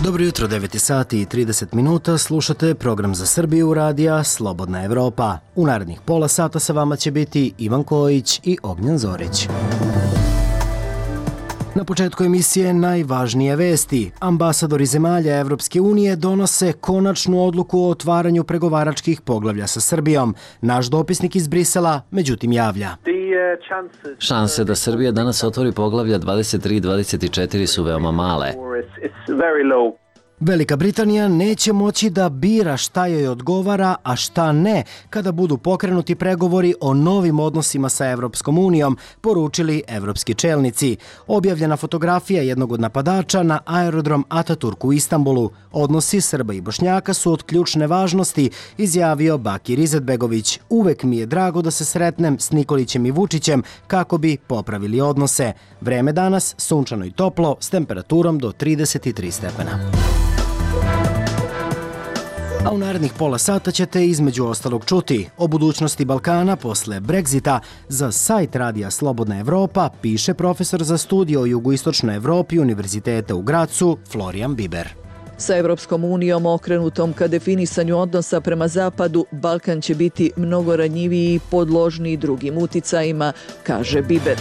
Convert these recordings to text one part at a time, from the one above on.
Dobro jutro, 9 sati i 30 minuta, slušate program za Srbiju radija Slobodna Evropa. U narednih pola sata sa vama će biti Ivan Kojić i Ognjen Zorić. Na početku emisije najvažnije vesti. Ambasadori zemalja Evropske unije donose konačnu odluku o otvaranju pregovaračkih poglavlja sa Srbijom. Naš dopisnik iz Brisela međutim javlja. Šanse da Srbija danas otvori poglavlja 23 i 24 su veoma male. Velika Britanija neće moći da bira šta joj odgovara, a šta ne, kada budu pokrenuti pregovori o novim odnosima sa Evropskom unijom, poručili evropski čelnici. Objavljena fotografija jednog od napadača na aerodrom Ataturk u Istanbulu. Odnosi Srba i Bošnjaka su od ključne važnosti, izjavio Bakir Izetbegović. Uvek mi je drago da se sretnem s Nikolićem i Vučićem kako bi popravili odnose. Vreme danas sunčano i toplo s temperaturom do 33 stepena. A u narednih pola sata ćete između ostalog čuti o budućnosti Balkana posle Brexita. Za sajt radija Slobodna Evropa piše profesor za studije o jugoistočnoj Evropi Univerziteta u Gracu Florijan Biber. Sa Evropskom unijom okrenutom ka definisanju odnosa prema zapadu, Balkan će biti mnogo ranjiviji i podložniji drugim uticajima, kaže Biber.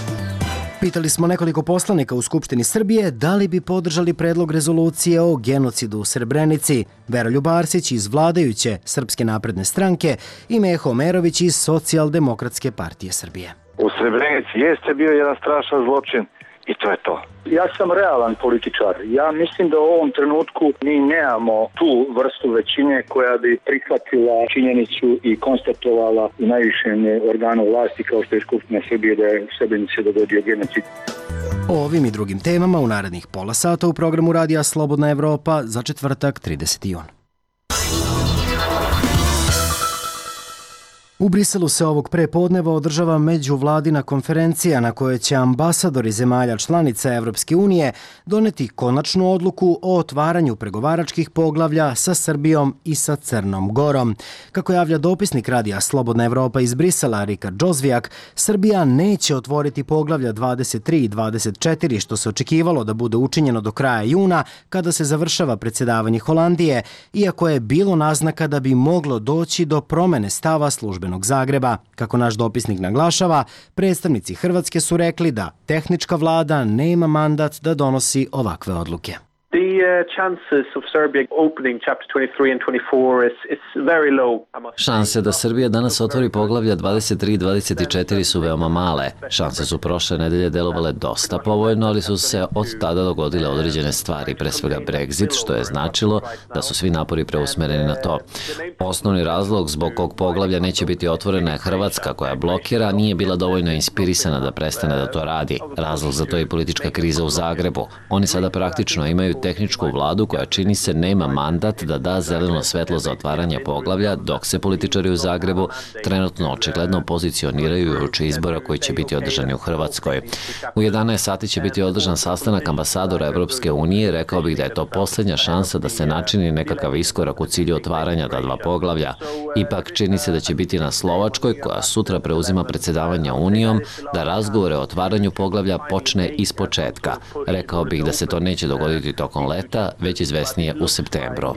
Pitali smo nekoliko poslanika u Skupštini Srbije da li bi podržali predlog rezolucije o genocidu u Srebrenici. Veroljub Arsić iz vladajuće Srpske napredne stranke i Meho Omerović iz Socijaldemokratske partije Srbije. U Srebrenici jeste bio jedan strašan zločin i to je to. Ja sam realan političar. Ja mislim da u ovom trenutku mi nemamo tu vrstu većine koja bi prihvatila činjenicu i konstatovala u najvišem organu vlasti kao što je Skupština Srbije da je u Srebrenici dogodio genocid. O ovim i drugim temama u narednih pola sata u programu radija Slobodna Evropa za četvrtak 30. jun. U Briselu se ovog prepodneva održava međuvladina konferencija na kojoj će ambasadori zemalja članica Evropske unije doneti konačnu odluku o otvaranju pregovaračkih poglavlja sa Srbijom i sa Crnom Gorom. Kako javlja dopisnik radija Slobodna Evropa iz Brisela Rikard Džozvijak, Srbija neće otvoriti poglavlja 23 i 24 što se očekivalo da bude učinjeno do kraja juna kada se završava predsjedavanje Holandije, iako je bilo naznaka da bi moglo doći do promene stava službenog Zagreba. Kako naš dopisnik naglašava, predstavnici Hrvatske su rekli da tehnička vlada nema mandat da donosi ovakve odluke. Šanse da Srbija danas otvori poglavlja 23 i 24 su veoma male. Šanse su prošle nedelje delovale dosta povoljno, ali su se od tada dogodile određene stvari, pre svega Brexit, što je značilo da su svi napori preusmereni na to. Osnovni razlog zbog kog poglavlja neće biti otvorena je Hrvatska, koja blokira, nije bila dovoljno inspirisana da prestane da to radi. Razlog za to je politička kriza u Zagrebu. Oni sada praktično imaju tehničku vladu koja čini se nema mandat da da zeleno svetlo za otvaranje poglavlja, dok se političari u Zagrebu trenutno očigledno pozicioniraju uoči izbora koji će biti održani u Hrvatskoj. U 11 sati će biti održan sastanak ambasadora Evropske unije, rekao bih da je to posljednja šansa da se načini nekakav iskorak u cilju otvaranja ta dva poglavlja. Ipak čini se da će biti na Slovačkoj, koja sutra preuzima predsjedavanje Unijom, da razgovore o otvaranju poglavlja počne ispočetka. Rekao bih da se to neće dogoditi tokom leta, već izvesnije u septembru.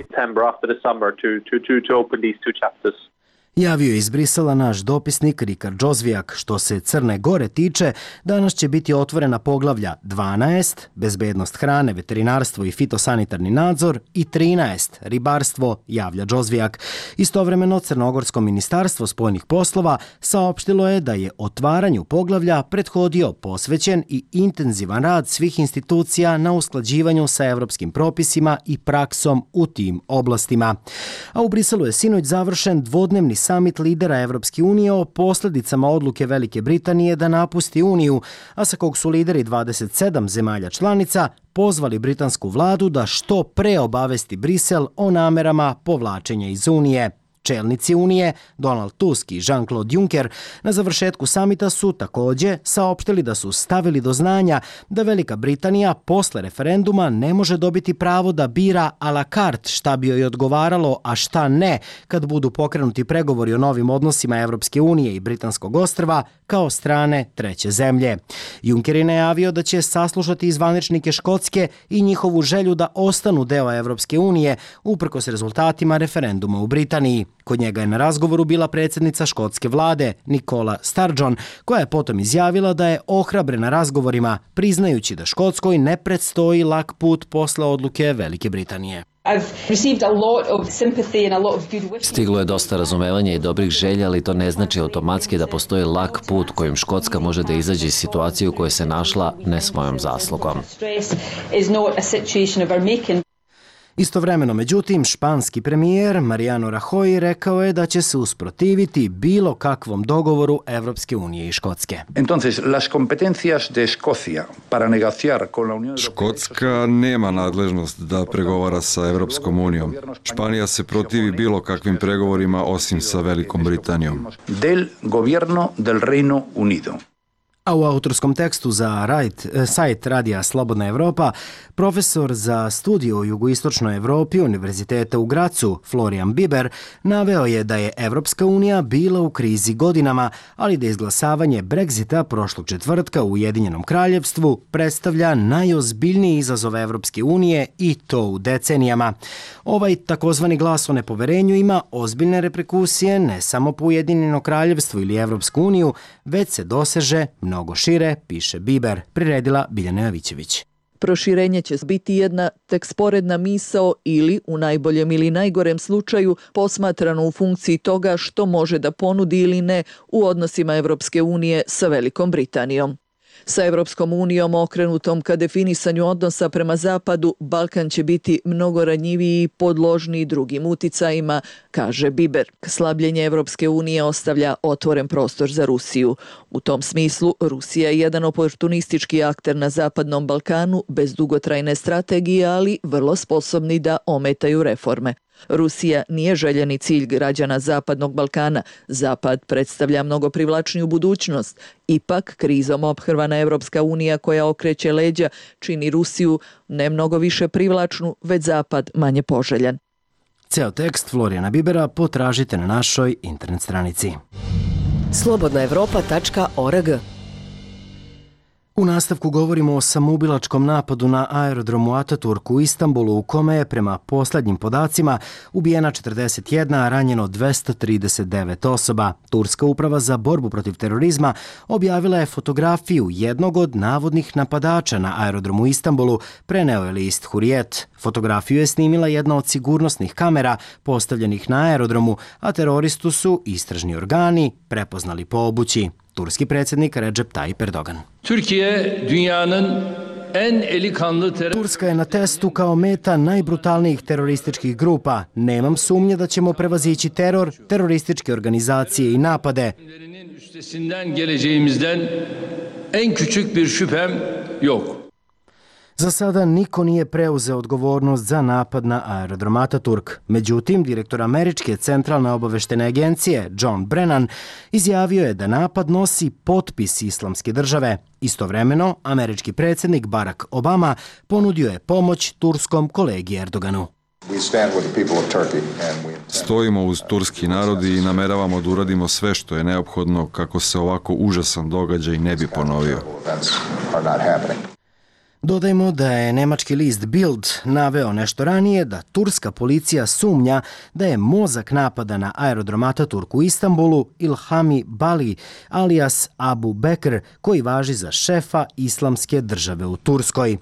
Javio je iz Brisela naš dopisnik Rikard Džozvijak. Što se Crne Gore tiče, danas će biti otvorena poglavlja 12, bezbednost hrane, veterinarstvo i fitosanitarni nadzor, i 13, ribarstvo, javlja Džozvijak. Istovremeno, Crnogorsko ministarstvo spoljnih poslova saopštilo je da je otvaranju poglavlja prethodio posvećen i intenzivan rad svih institucija na usklađivanju sa evropskim propisima i praksom u tim oblastima. A u Briselu je sinoć završen dvodnevni samit lidera Evropske unije o posljedicama odluke Velike Britanije da napusti Uniju, a sa kog su lideri 27 zemalja članica pozvali britansku vladu da što pre obavesti Brisel o namerama povlačenja iz Unije. Čelnici Unije, Donald Tusk i Jean-Claude Juncker, na završetku samita su takođe saopštili da su stavili do znanja da Velika Britanija posle referenduma ne može dobiti pravo da bira a la carte šta bi joj odgovaralo, a šta ne, kad budu pokrenuti pregovori o novim odnosima Evropske unije i Britanskog ostrva kao strane treće zemlje. Juncker je najavio da će saslušati zvaničnike Škotske i njihovu želju da ostanu deo Evropske unije uprkos rezultatima referenduma u Britaniji. Kod njega je na razgovoru bila predsjednica škotske vlade Nicola Sturgeon, koja je potom izjavila da je ohrabrena razgovorima, priznajući da Škotskoj ne predstoji lak put posle odluke Velike Britanije. Stiglo je dosta razumevanja i dobrih želja, ali to ne znači automatski da postoji lak put kojim Škotska može da izađe iz situacije u kojoj se našla ne svojom zaslugom. Istovremeno, međutim, španski premijer Mariano Rajoy rekao je da će se usprotiviti bilo kakvom dogovoru Evropske unije i Škotske. Škotska nema nadležnost da pregovara sa Evropskom unijom. Španija se protivi bilo kakvim pregovorima osim sa Velikom Britanijom. A u autorskom tekstu za sajt Radija Slobodna Evropa, profesor za studiju u jugoistočnoj Evropi Univerziteta u Gracu, Florian Biber, naveo je da je Evropska unija bila u krizi godinama, ali da izglasavanje Brexita prošlog četvrtka u Ujedinjenom kraljevstvu predstavlja najozbiljniji izazov Evropske unije i to u decenijama. Ovaj takozvani glas o nepoverenju ima ozbiljne reperkusije ne samo po Ujedinjeno kraljevstvo ili Evropsku uniju, već se doseže mnogo šire, piše Biber, priredila Biljana Jovićević. Proširenje će biti jedna tek sporedna misao ili, u najboljem ili najgorem slučaju, posmatrano u funkciji toga što može da ponudi ili ne u odnosima Evropske unije sa Velikom Britanijom. Sa Evropskom unijom okrenutom ka definisanju odnosa prema Zapadu, Balkan će biti mnogo ranjiviji i podložniji drugim uticajima, kaže Biber. Slabljenje Evropske unije ostavlja otvoren prostor za Rusiju. U tom smislu, Rusija je jedan oportunistički akter na Zapadnom Balkanu bez dugotrajne strategije, ali vrlo sposobni da ometaju reforme. Rusija nije željeni cilj građana Zapadnog Balkana. Zapad predstavlja mnogo privlačniju budućnost. Ipak, krizom ophrvana Evropska unija koja okreće leđa čini Rusiju ne mnogo više privlačnu, već Zapad manje poželjan. Ceo tekst Florijana Bibera potražite na našoj internet stranici. slobodnaevropa.org. U nastavku govorimo o samoubilačkom napadu na aerodromu Ataturk u Istanbulu, u kome je prema poslednjim podacima ubijena 41, a ranjeno 239 osoba. Turska uprava za borbu protiv terorizma objavila je fotografiju jednog od navodnih napadača na aerodromu u Istanbulu, preneo je list Hurriyet. Fotografiju je snimila jedna od sigurnosnih kamera postavljenih na aerodromu, a teroristu su istražni organi prepoznali po obući. Turski predsjednik Recep Tayyip Erdogan. Turska je na testu kao meta najbrutalnijih terorističkih grupa. Nemam sumnje da ćemo prevazići teror, terorističke organizacije i napade. Za sada niko nije preuzeo odgovornost za napad na aerodrom Ataturk. Međutim, direktor Američke centralne obaveštene agencije John Brennan izjavio je da napad nosi potpis Islamske države. Istovremeno, američki predsjednik Barack Obama ponudio je pomoć turskom kolegi Erdoganu. Stojimo uz turski narod i nameravamo da uradimo sve što je neophodno kako se ovako užasan događaj ne bi ponovio. Dodajmo da je nemački list Bild naveo nešto ranije da turska policija sumnja da je mozak napada na aerodrom Ataturk u Istanbulu Ilhami Bali alias Abu Bekr, koji važi za šefa Islamske države u Turskoj.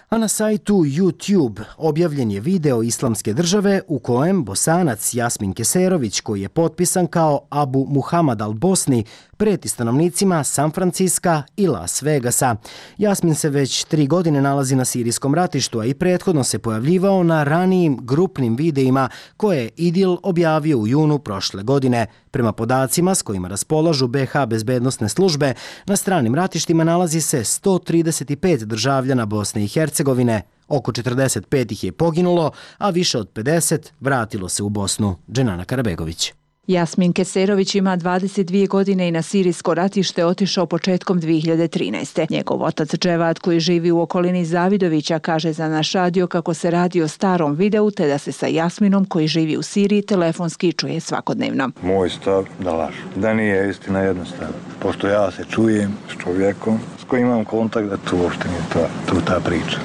A na sajtu YouTube objavljen je video Islamske države u kojem Bosanac Jasmin Keserović, koji je potpisan kao Abu Muhammad al-Bosni, preti stanovnicima San Franciska i Las Vegasa. Jasmin se već 3 godine nalazi na sirijskom ratištu, a i prethodno se pojavljivao na ranijim grupnim videima koje je IDIL objavio u junu prošle godine. Prema podacima s kojima raspolažu BH bezbednosne službe, na stranim ratištima nalazi se 135 državljana Bosne i Hercegovine. Oko 45 ih je poginulo, a više od 50 vratilo se u Bosnu. Dženana Karabegović. Jasmin Keserović ima 22 godine i na sirijsko ratište otišao početkom 2013. Njegov otac Dževad, koji živi u okolini Zavidovića, kaže za naš radio kako se radi o starom videu, te da se sa Jasminom, koji živi u Siriji, telefonski čuje svakodnevno. Moj stav da lažu. Da nije istina jednostavno. Pošto ja se čujem s čovjekom s kojim imam kontakt, da tu uopšte nije ta priča.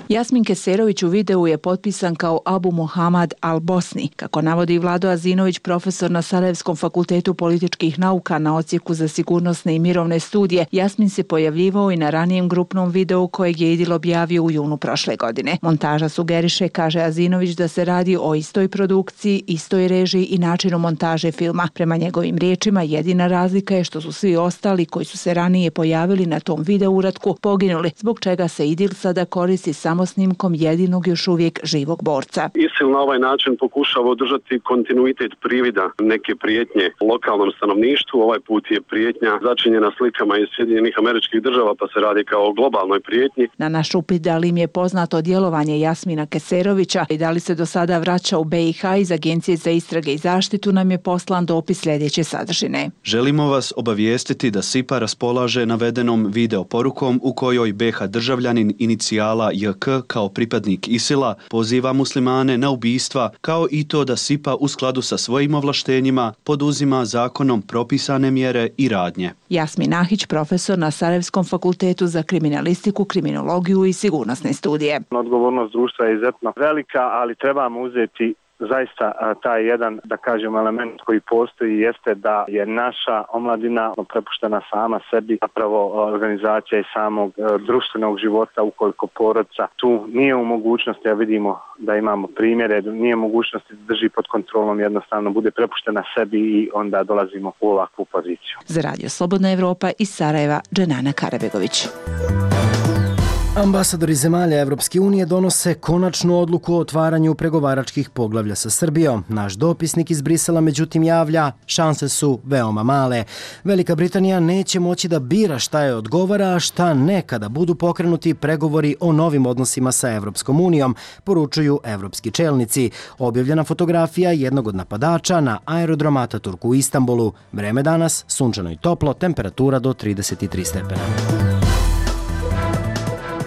Jasmin Keserović u videu je potpisan kao Abu Muhammad al-Bosni. Kako navodi Vlado Azinović, profesor na Sarajevskom fakultetu političkih nauka na odsjeku za sigurnosne i mirovne studije, Jasmin se pojavljivao i na ranijem grupnom videu kojeg je IDIL objavio u junu prošle godine. Montaža sugeriše, kaže Azinović, da se radi o istoj produkciji, istoj režiji i načinu montaže filma. Prema njegovim riječima, jedina razlika je što su svi ostali koji su se ranije pojavili na tom video uratku poginuli, zbog čega se IDIL sada koristi samo snimkom jedinog još uvijek živog borca. ISIL na ovaj način pokušava održati kontinuitet privida neke prijetnje lokalnom stanovništvu. Ovaj put je prijetnja začinjena slikama iz Sjedinjenih Američkih Država, pa se radi kao o globalnoj prijetnji. Na naš upit da li im je poznato djelovanje Jasmina Keserovića i da li se do sada vraća u BiH iz Agencije za istrage i zaštitu, nam je poslan dopis sljedeće sadržine. Želimo vas obavijestiti da SIPA raspolaže navedenom video porukom u kojoj BiH državljanin inicijala JK kao pripadnik ISIL-a poziva muslimane na ubistva, kao i to da SIPA u skladu sa svojim ovlaštenjima poduzima zakonom propisane mjere i radnje. Jasmin Ahić, profesor na Sarajevskom fakultetu za kriminalistiku, kriminologiju i sigurnosne studije. Odgovornost društva je izuzetno velika, ali trebamo uzeti zaista taj jedan, da kažem, element koji postoji jeste da je naša omladina prepuštena sama sebi, zapravo organizacija i samog društvenog života, ukoliko porodica tu nije u mogućnosti, a vidimo da imamo primjere, nije mogućnosti da drži pod kontrolom, jednostavno bude prepuštena sebi i onda dolazimo u ovakvu poziciju. Za Radio Slobodna Evropa iz Sarajeva, Dženana Karabegović. Ambasadori zemalja Evropske unije donose konačnu odluku o otvaranju pregovaračkih poglavlja sa Srbijom. Naš dopisnik iz Brisela međutim javlja, šanse su veoma male. Velika Britanija neće moći da bira šta je odgovara, a šta ne kada budu pokrenuti pregovori o novim odnosima sa Evropskom unijom, poručuju evropski čelnici. Objavljena fotografija jednog od napadača na aerodrom Ataturk u Istanbulu. Vreme danas sunčano i toplo, temperatura do 33 stepena.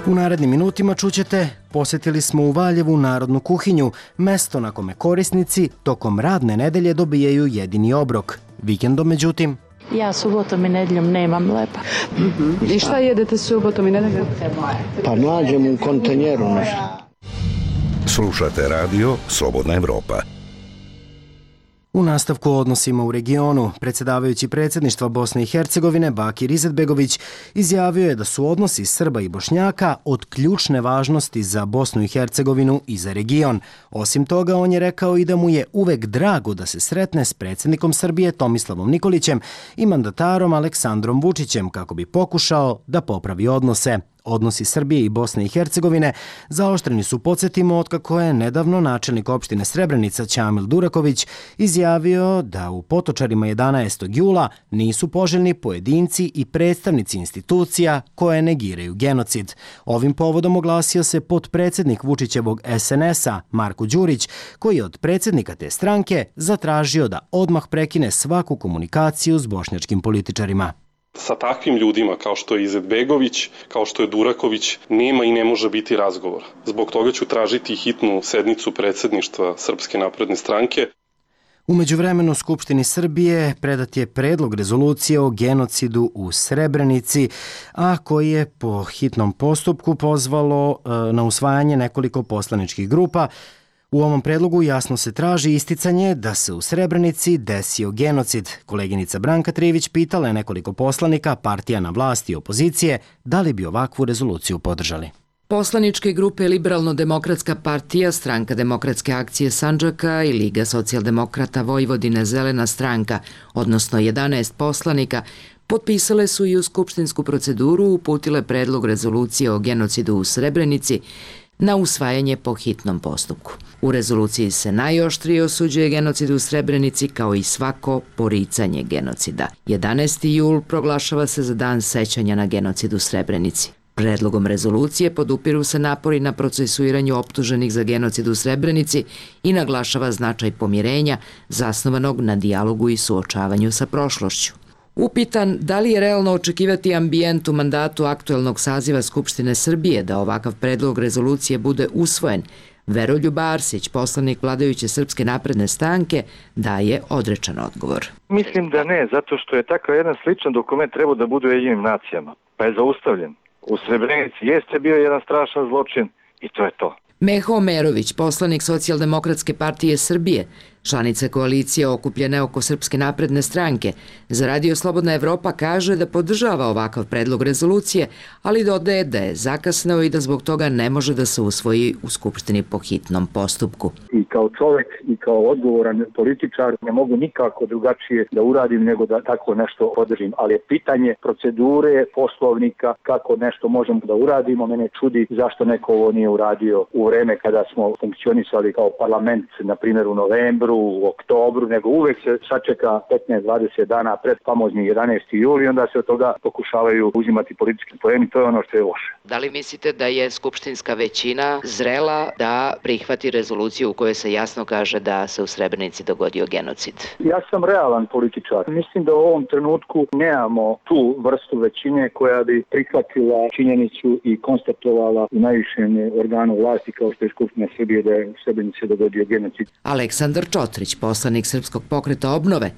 U narednim minutima čućete, posjetili smo u Valjevu narodnu kuhinju, mesto na kome korisnici tokom radne nedelje dobijaju jedini obrok. Vikendom, međutim, ja subotom i nedjeljom nemam lepa. I šta jedete subotom i nedjeljom? Pa nađem u kontenjeru nešto. Slušate radio Slobodna Evropa. U nastavku o odnosima u regionu, predsjedavajući predsjedništva Bosne i Hercegovine Bakir Izetbegović izjavio je da su odnosi Srba i Bošnjaka od ključne važnosti za Bosnu i Hercegovinu i za region. Osim toga, on je rekao i da mu je uvek drago da se sretne s predsjednikom Srbije Tomislavom Nikolićem i mandatarom Aleksandrom Vučićem kako bi pokušao da popravi odnose. Odnosi Srbije i Bosne i Hercegovine zaoštreni su, podsjetimo, otkako je nedavno načelnik opštine Srebrenica Ćamil Duraković izjavio da u Potočarima 11. jula nisu poželjni pojedinci i predstavnici institucija koje negiraju genocid. Ovim povodom oglasio se potpredsjednik Vučićevog SNS-a Marko Đurić, koji je od predsjednika te stranke zatražio da odmah prekine svaku komunikaciju s bošnjačkim političarima. Sa takvim ljudima kao što je Izetbegović, kao što je Duraković, nema i ne može biti razgovora. Zbog toga ću tražiti hitnu sednicu predsjedništva Srpske napredne stranke. U međuvremenu Skupštini Srbije predat je predlog rezolucije o genocidu u Srebrenici, a koji je po hitnom postupku pozvalo na usvajanje nekoliko poslaničkih grupa. U ovom predlogu jasno se traži isticanje da se u Srebrenici desio genocid. Koleginica Branka Trivić pitala je nekoliko poslanika, partija na vlasti i opozicije, da li bi ovakvu rezoluciju podržali. Poslaničke grupe Liberalno-demokratska partija, Stranka demokratske akcije Sandžaka i Liga socijaldemokrata Vojvodine Zelena stranka, odnosno 11 poslanika, potpisale su i u skupštinsku proceduru uputile predlog rezolucije o genocidu u Srebrenici na usvajanje po hitnom postupku. U rezoluciji se najoštrije osuđuje genocid u Srebrenici kao i svako poricanje genocida. 11. jul proglašava se za dan sećanja na genocid u Srebrenici. Predlogom rezolucije podupiru se napori na procesuiranju optuženih za genocid u Srebrenici i naglašava značaj pomirenja zasnovanog na dijalogu i suočavanju sa prošlošću. Upitan da li je realno očekivati ambijent u mandatu aktuelnog saziva Skupštine Srbije da ovakav predlog rezolucije bude usvojen, Veroljub Arsić, poslanik vladajuće Srpske napredne stranke, daje odrečan odgovor. Mislim da ne, zato što je takav jedan sličan dokument trebao da bude u Ujedinjenim nacijama, pa je zaustavljen. U Srebrenici jeste bio jedan strašan zločin i to je to. Meho Omerović, poslanik Socijaldemokratske partije Srbije, članica koalicije okupljene oko Srpske napredne stranke, za Radio Slobodna Evropa kaže da podržava ovakav predlog rezolucije, ali dodaje da je zakasneo i da zbog toga ne može da se usvoji u Skupštini po hitnom postupku. I kao čovjek i kao odgovoran političar ne mogu nikako drugačije da uradim nego da tako nešto podržim, ali je pitanje procedure, poslovnika, kako nešto možemo da uradimo. Mene čudi zašto neko ovo nije uradio u vreme kada smo funkcionisali kao parlament, na primjer u novembru, u oktobru, nego uvek se sačeka 15-20 dana pred famozni 11. juli i onda se od toga pokušavaju uzimati politički poeni. To je ono što je loše. Da li mislite da je skupštinska većina zrela da prihvati rezoluciju u kojoj se jasno kaže da se u Srebrenici dogodio genocid? Ja sam realan političar. Mislim da u ovom trenutku nemamo tu vrstu većine koja bi prihvatila činjenicu i konstatovala u najvišem organu vlasti kao što je Skupština Srbije da je u Srebrenici dogodio genocid. Aleksandar Čotrić, poslanik Srpskog pokreta obnove,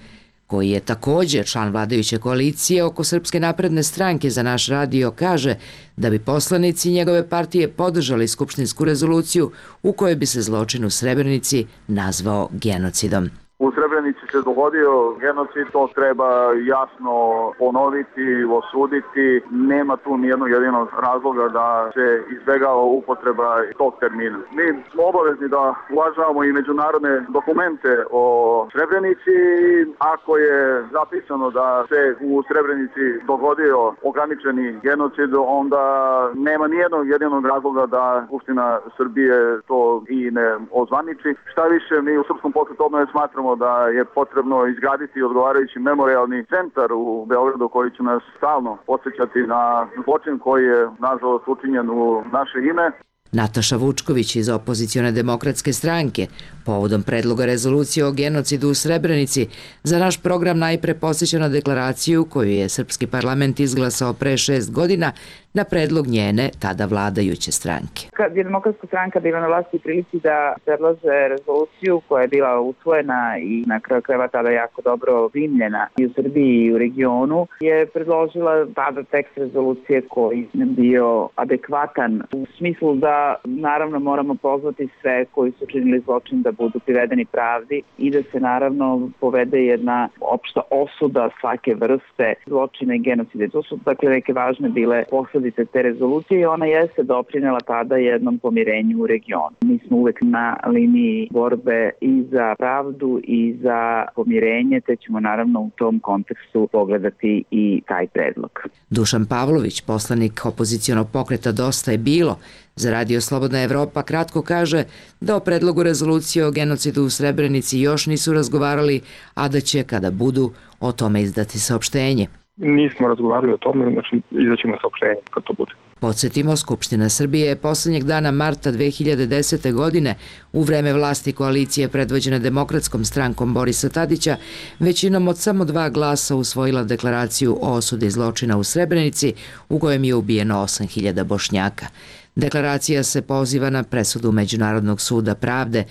koji je također član vladajuće koalicije oko Srpske napredne stranke, za naš radio kaže da bi poslanici njegove partije podržali skupštinsku rezoluciju u kojoj bi se zločin u Srebrenici nazvao genocidom. U Srebrenici se dogodio genocid, to treba jasno ponoviti, osuditi. Nema tu nijednog jedinog razloga da se izbjegava upotreba tog termina. Mi smo obavezni da uvažavamo i međunarodne dokumente o Srebrenici. Ako je zapisano da se u Srebrenici dogodio ograničeni genocid, onda nema nijednog jedinog razloga da Skupština Srbije to i ne ozvaniči. Šta više, mi u Srpskom pokretu obnove smatramo da je potrebno izgraditi odgovarajući memorijalni centar u Beogradu koji će nas stalno podsjećati na zločin koji je nažalost učinjen u naše ime. Nataša Vučković iz opozicione demokratske stranke povodom predloga rezolucije o genocidu u Srebrenici za naš program najpre podsjeća na deklaraciju koju je Srpski parlament izglasao pre 6 godina na predlog njene tada vladajuće stranke. Kad je Demokratska stranka bila na vlasti prilici da predlože rezoluciju koja je bila usvojena i na kraju krajeva tada jako dobro primljena i u Srbiji i u regionu, je predložila tada tekst rezolucije koji je bio adekvatan u smislu da naravno moramo pozvati sve koji su činili zločin da budu privedeni pravdi i da se naravno povede jedna opšta osuda svake vrste zločina i genocide. To su dakle neke važne bile posledice te rezolucije i ona jeste doprinela tada jednom pomirenju u regionu. Mi smo uvek na liniji borbe i za pravdu i za pomirenje, te ćemo naravno u tom kontekstu pogledati i taj predlog. Dušan Pavlović, poslanik opozicionog pokreta Dosta je bilo, za Radio Slobodna Evropa kratko kaže da o predlogu rezolucije o genocidu u Srebrenici još nisu razgovarali, a da će kada budu o tome izdati saopštenje. Nismo razgovarali o tome, znači izaćemo saopštenje kad to bude. Podsjetimo, Skupština Srbije je posljednjeg dana marta 2010. godine u vreme vlasti koalicije predvođene Demokratskom strankom Borisa Tadića većinom od samo 2 glasa usvojila deklaraciju o osudi zločina u Srebrenici u kojem je ubijeno 8.000 Bošnjaka. Deklaracija se poziva na presudu Međunarodnog suda pravde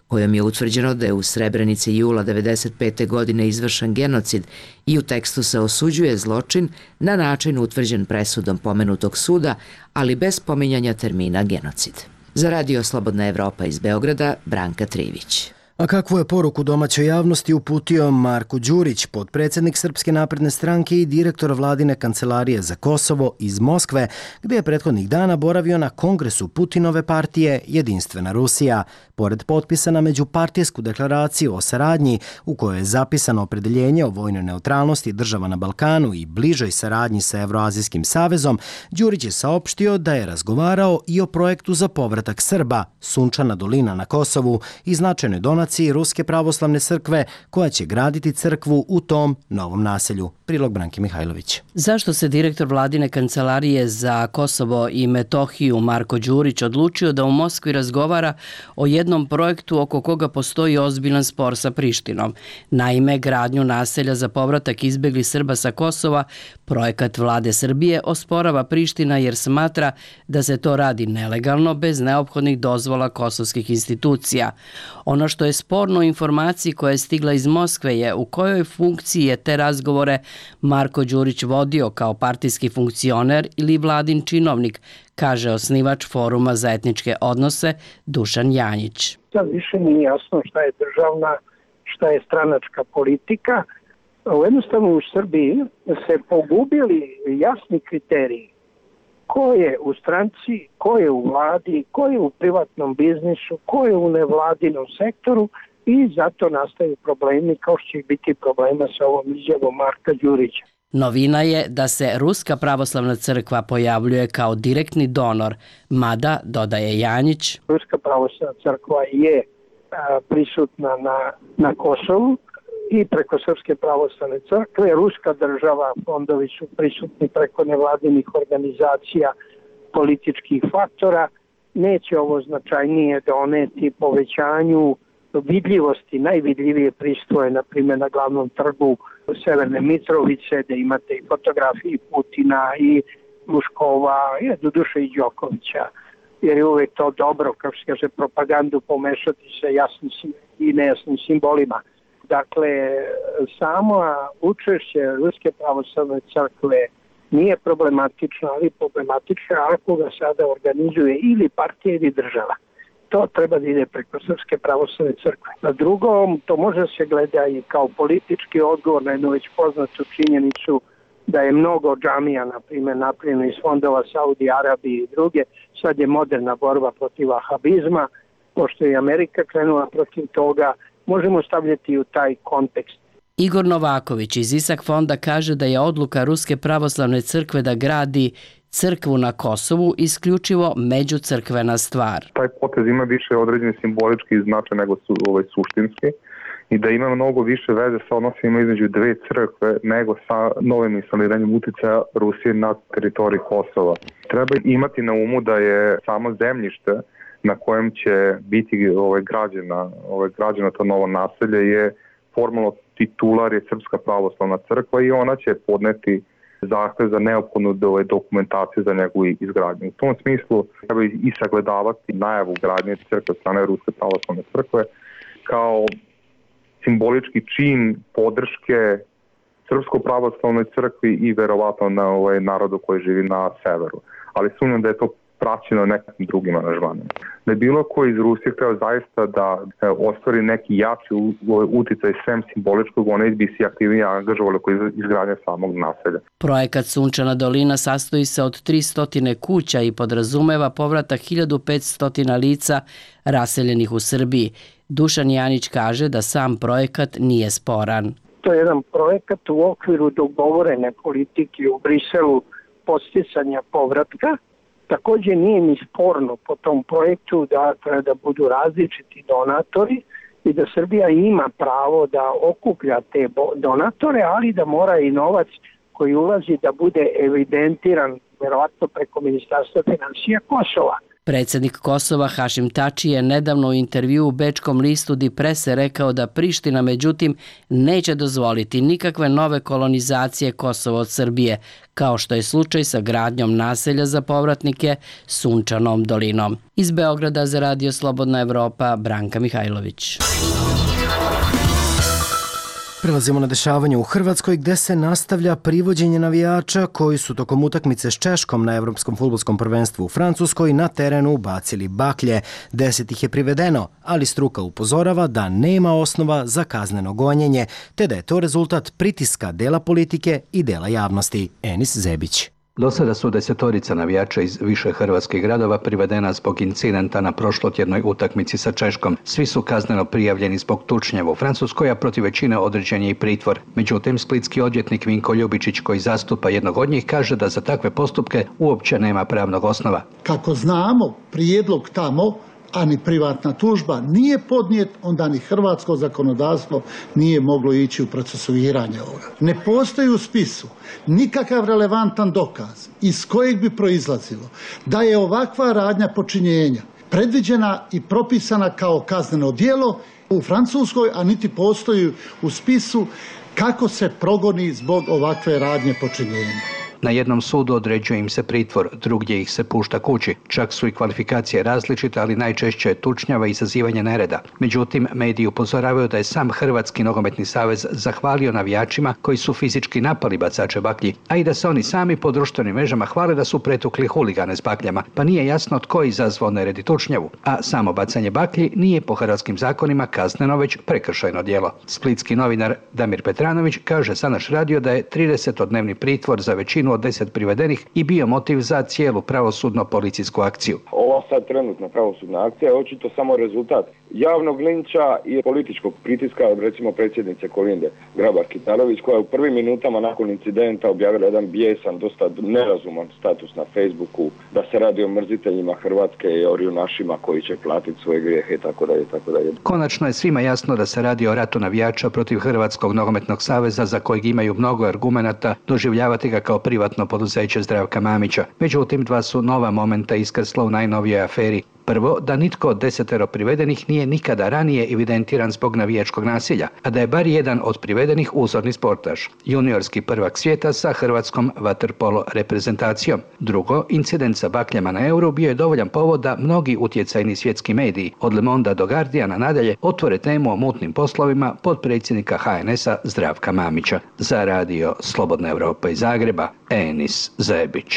kojom je utvrđeno da je u Srebrenici jula 1995. godine izvršen genocid i u tekstu se osuđuje zločin na način utvrđen presudom pomenutog suda, ali bez pominjanja termina genocid. Za Radio Slobodna Evropa iz Beograda, Branka Trivić. A kakvu je poruku domaćoj javnosti uputio Marko Đurić, potpredsjednik Srpske napredne stranke i direktor vladine kancelarije za Kosovo iz Moskve, gdje je prethodnih dana boravio na kongresu Putinove partije Jedinstvena Rusija. Pored potpisa na međupartijsku deklaraciju o saradnji u kojoj je zapisano opredeljenje o vojnoj neutralnosti država na Balkanu i bližoj saradnji sa Evroazijskim savezom, Đurić je saopštio da je razgovarao i o projektu za povratak Srba, Sunčana dolina na Kosovu i značajnoj donaciji Ruske pravoslavne crkve koja će graditi crkvu u tom novom naselju. Prilog Branke Mihajlović. Zašto se direktor vladine kancelarije za Kosovo i Metohiju Marko Đurić odlučio da u Moskvi razgovara o jednom projektu oko koga postoji ozbiljan spor sa Prištinom? Naime, gradnju naselja za povratak izbeglih Srba sa Kosova projekat vlade Srbije osporava Priština jer smatra da se to radi nelegalno bez neophodnih dozvola kosovskih institucija. Ono što je sporno u informaciji koja je stigla iz Moskve je u kojoj funkciji je te razgovore Marko Đurić vodio kao partijski funkcioner ili vladin činovnik, kaže osnivač Foruma za etničke odnose Dušan Janjić. Sad više nije jasno šta je državna, šta je stranačka politika. Jednostavno u Srbiji se pogubili jasni kriteriji. Ko je u stranci, ko je u vladi, ko je u privatnom biznisu, ko je u nevladinom sektoru i zato nastaju problemi kao što će biti problema sa ovom izjavom Marka Đurića. Novina je da se Ruska pravoslavna crkva pojavljuje kao direktni donor, mada, dodaje Janjić, Ruska pravoslavna crkva je prisutna na Kosovu i preko Srpske pravoslavne crkve. Ruska država, fondovi su prisutni preko nevladinih organizacija, političkih faktora. Neće ovo značajnije doneti povećanju vidljivosti. Najvidljivije pristoje, na primjer, na glavnom trgu Severne Mitrovice, da imate i fotografije Putina i Luškova, i doduše i Đokovića, jer je uvek to dobro, kao se kaže, propagandu pomešati sa jasnim i nejasnim simbolima. Dakle, samo učešće Ruske pravoslavne crkve nije problematično, ali problematično ako ga sada organizuje ili partija ili država. To treba da ide preko Srpske pravoslavne crkve. Na drugom, to može se gleda i kao politički odgovor na jednu već poznatu činjenicu da je mnogo džamija, na primjer, napravljeno iz fondova Saudi Arabije i druge. Sad je moderna borba protiv vahabizma, pošto je Amerika krenula protiv toga, možemo stavljati u taj kontekst. Igor Novaković iz Isak fonda kaže da je odluka Ruske pravoslavne crkve da gradi crkvu na Kosovu isključivo međucrkvena stvar. Taj potez ima više određeni simbolički značaj nego suštinski i da ima mnogo više veze sa odnosima između dve crkve nego sa novim instaliranjem uticaja Rusije na teritoriji Kosova. Treba imati na umu da je samo zemljište na kojem će biti građena to novo naselje je formalno titular je Srpska pravoslavna crkva i ona će podneti zahtev za neophodnu dokumentaciju za njegovu izgradnju. U tom smislu treba i sagledavati najavu gradnje crkve strane Ruske pravoslavne crkve kao simbolički čin podrške Srpskoj pravoslavnoj crkvi i verovatno na narodu koji živi na severu. Ali sumnjam da je to praćeno nekakvim drugim aranžmanima. Da je bilo ko iz Rusije hteo zaista da ostvari neki jači uticaj sem simboličkog, oni bi se aktivnije angažovali koji izgradnje samog naselja. Projekat Sunčana dolina sastoji se od 300 kuća i podrazumeva povratak 1500 lica raseljenih u Srbiji. Dušan Janić kaže da sam projekat nije sporan. To je jedan projekat u okviru dogovorene politike u Briselu podsticanja povratka. Također nije ni sporno po tom projektu da treba da budu različiti donatori i da Srbija ima pravo da okuplja te donatore, ali da mora i novac koji ulazi da bude evidentiran verovatno preko Ministarstva finansija Kosova. Predsjednik Kosova Hašim Tači je nedavno u intervju u bečkom listu Die Presse rekao da Priština međutim neće dozvoliti nikakve nove kolonizacije Kosova od Srbije, kao što je slučaj sa gradnjom naselja za povratnike Sunčanom dolinom. Iz Beograda za Radio Slobodna Evropa, Branka Mihajlović. Prelazimo na dešavanje u Hrvatskoj gde se nastavlja privođenje navijača koji su tokom utakmice s Češkom na Evropskom fudbalskom prvenstvu u Francuskoj na terenu bacili baklje. 10 ih je privedeno, ali struka upozorava da nema osnova za kazneno gonjenje, te da je to rezultat pritiska dela politike i dela javnosti. Enis Zebić. Do sada su 10 navijača iz više hrvatskih gradova privedena zbog incidenta na prošlotjednoj utakmici sa Češkom. Svi su kazneno prijavljeni zbog tučnjeva u Francuskoj, a protiv većine određen je i pritvor. Međutim, splitski odvjetnik Vinko Ljubičić, koji zastupa jednog od njih, kaže da za takve postupke uopće nema pravnog osnova. Kako znamo, prijedlog tamo, a ni privatna tužba nije podnijet, onda ni hrvatsko zakonodavstvo nije moglo ići u procesuiranje ovoga. Ne postoji u spisu nikakav relevantan dokaz iz kojeg bi proizlazilo da je ovakva radnja počinjenja predviđena i propisana kao kazneno djelo u Francuskoj, a niti postoji u spisu kako se progoni zbog ovakve radnje počinjenja. Na jednom sudu određuje im se pritvor, drugdje ih se pušta kući. Čak su i kvalifikacije različite, ali najčešće je tučnjava i izazivanje nereda. Međutim, mediji upozoravaju da je sam Hrvatski nogometni savez zahvalio navijačima koji su fizički napali bacače baklji, a i da se oni sami po društvenim mrežama hvale da su pretukli huligane s bakljama, pa nije jasno tko je izazvao nered i tučnjavu. A samo bacanje baklji nije po hrvatskim zakonima kazneno, već prekršajno djelo. Splitski novinar Damir Petranović kaže za naš radio da je 30-dnevni pritvor za većinu od 10 privedenih i bio motiv za cijelu pravosudno-policijsku akciju. Ova sad trenutna pravosudna akcija je očito samo rezultat javnog linča i političkog pritiska od recimo predsjednice Kolinde Grabar-Kitarović, koja je u prvim minutama nakon incidenta objavila jedan bijesan, dosta nerazuman status na Facebooku da se radi o mrziteljima Hrvatske i o junašima koji će platiti svoje grijehe itd. Konačno je svima jasno da se radi o ratu navijača protiv Hrvatskog nogometnog saveza za kojeg imaju mnogo argumenata doživljavati ga kao privatno poduzeće Zdravka Mamića. Međutim, dva su nova momenta iskrsla u najnovijoj aferi. Prvo, da nitko od 10 privedenih nije nikada ranije evidentiran zbog navijačkog nasilja, a da je bar jedan od privedenih uzorni sportaš, juniorski prvak svijeta sa hrvatskom vaterpolo reprezentacijom. Drugo, incident sa bakljama na Euru bio je dovoljan povod da mnogi utjecajni svjetski mediji, od Le Mondea do Guardiana nadalje, otvore temu o mutnim poslovima potpredsjednika HNS-a Zdravka Mamića. Za radio Slobodna Europa iz Zagreba, Enis Zebić.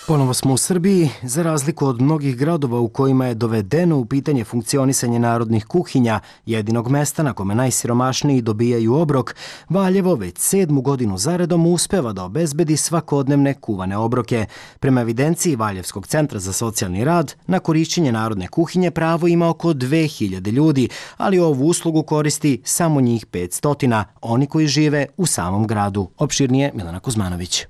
Ponovo smo u Srbiji. Za razliku od mnogih gradova u kojima je dovedeno u pitanje funkcionisanje narodnih kuhinja, jedinog mesta na kome najsiromašniji dobijaju obrok, Valjevo već 7. godinu zaredom uspeva da obezbedi svakodnevne kuvane obroke. Prema evidenciji Valjevskog centra za socijalni rad, na korišćenje narodne kuhinje pravo ima oko 2000 ljudi, ali ovu uslugu koristi samo njih 500, oni koji žive u samom gradu. Opširnije Milana Kuzmanović.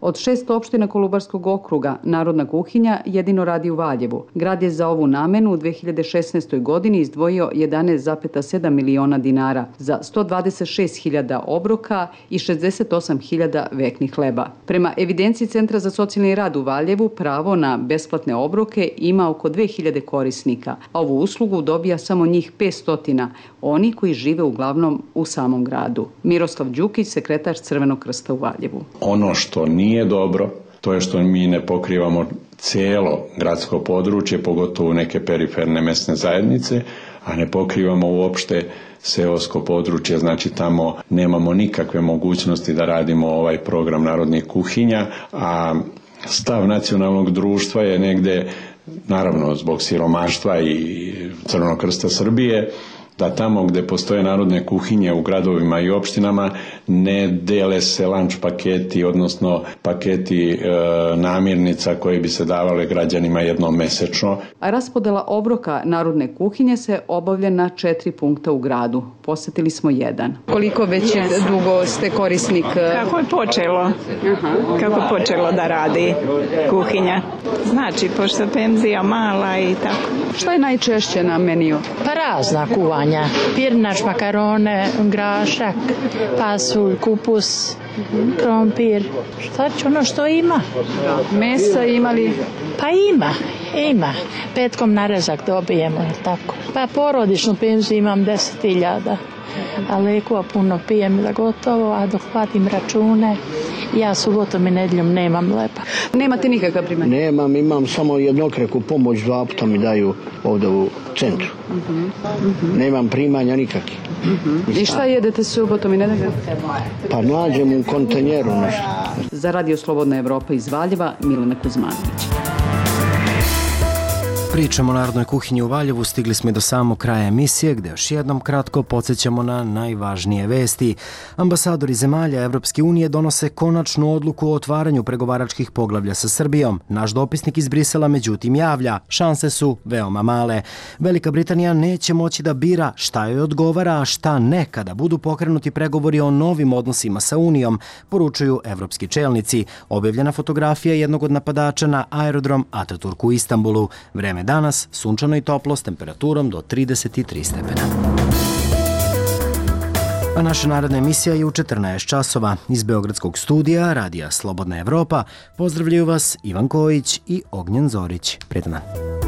Od 6 opština Kolubarskog okruga narodna kuhinja jedino radi u Valjevu. Grad je za ovu namenu u 2016. godini izdvojio 11,7 miliona dinara za 126.000 obroka i 68.000 veknih hleba. Prema evidenciji Centra za socijalni rad u Valjevu pravo na besplatne obroke ima oko 2000 korisnika, a ovu uslugu dobija samo njih 500, oni koji žive uglavnom u samom gradu. Miroslav Đukić, sekretar Crvenog krsta u Valjevu. Ono što nije dobro, to je što mi ne pokrivamo cijelo gradsko područje, pogotovo neke periferne mesne zajednice, a ne pokrivamo uopšte seosko područje, znači tamo nemamo nikakve mogućnosti da radimo ovaj program narodnih kuhinja, a stav nacionalnog društva je negde, naravno zbog siromaštva i Crvenog krsta Srbije, da tamo gdje postoje narodne kuhinje u gradovima i opštinama ne dele se lunch paketi, odnosno paketi namirnica koje bi se davale građanima jednom mesečno. A raspodela obroka narodne kuhinje se obavlja na 4 punkta u gradu. Posjetili smo jedan. Koliko već dugo ste korisnik? Kako je počelo? Kako je počelo da radi kuhinja? Znači, pošto penzija mala i tako. Što je najčešće na meniju? Pa razna kuvanja. Pirnač, makarone, grašak, pasulj, kupus, krompir. Šta će ono što ima? Mesa imali? Pa ima. Petkom narezak dobijemo, tako. Pa porodičnu penziju imam 10.000. A lekova puno pijem da gotovo, a dok platim račune, ja subotom i nedjeljom nemam lepa. Nemate nikakav primjer? Nemam, imam samo jednokreku pomoć, 2 puta mi daju ovdje u centru. Nemam primanja nikakvih. I šta jedete subotom i nedeljom? Pa nađem u kontenjeru nešto. Za Radio Slobodna Evropa iz Valjeva, Milena Kuzmanović. Pričamo o narodnoj kuhinji u Valjevu, stigli smo i do samog kraja emisije gde još jednom kratko podsjećamo na najvažnije vesti. Ambasadori zemalja Evropske unije donose konačnu odluku o otvaranju pregovaračkih poglavlja sa Srbijom. Naš dopisnik iz Brisela međutim javlja, šanse su veoma male. Velika Britanija neće moći da bira šta joj odgovara, a šta ne kada budu pokrenuti pregovori o novim odnosima sa Unijom, poručuju evropski čelnici. Objavljena fotografija jednog od napadača na aerodrom Ataturk u Istanbulu. Vreme danas sunčano i toplo s temperaturom do 33 stepena. A naša naredna emisija je u 14 časova. Iz Beogradskog studija Radija Slobodna Evropa pozdravljaju vas Ivan Kojić i Ognjen Zorić. Prijetan dan.